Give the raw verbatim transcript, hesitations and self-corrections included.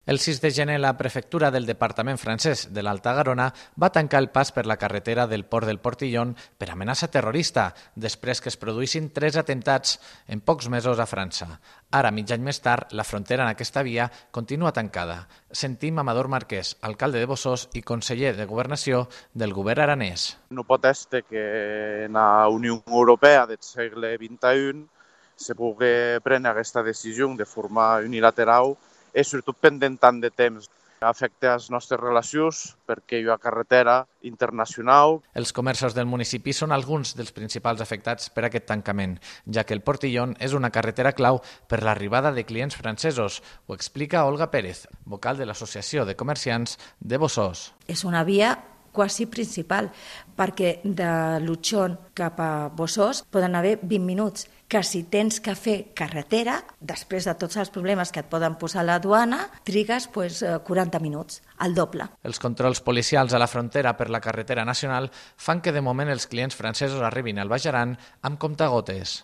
El sis de gener, la prefectura del departament francès de l'Alta Garona va tancar el pas per la carretera del port del Portillon per amenaça terrorista, després que es produïssin tres atemptats en pocs mesos a França. Ara, mig any més tard, la frontera en aquesta via continua tancada. Sentim Amador Marquès, alcalde de Bossòst i conseller de Governació del govern aranès. No pot ser que en la Unió Europea del segle vint-i-un se pugui prendre aquesta decisió de forma unilateral i sobretot pendent tant de temps. Afecta les nostres relacions perquè hi ha carretera internacional. Els comerços del municipi són alguns dels principals afectats per aquest tancament, ja que el Portillon és una carretera clau per l'arribada de clients francesos. Ho explica Olga Pérez, vocal de l'Associació de Comerciants de Bossòst. És una via quasi principal, perquè de Lutxón cap a Bossòst poden haver vint minuts, que si tens que fer carretera, després de tots els problemes que et poden posar a la duana, trigues pues, quaranta minuts, el doble. Els controls policials a la frontera per la carretera nacional fan que de moment els clients francesos arribin al Baix Aran amb comptagotes.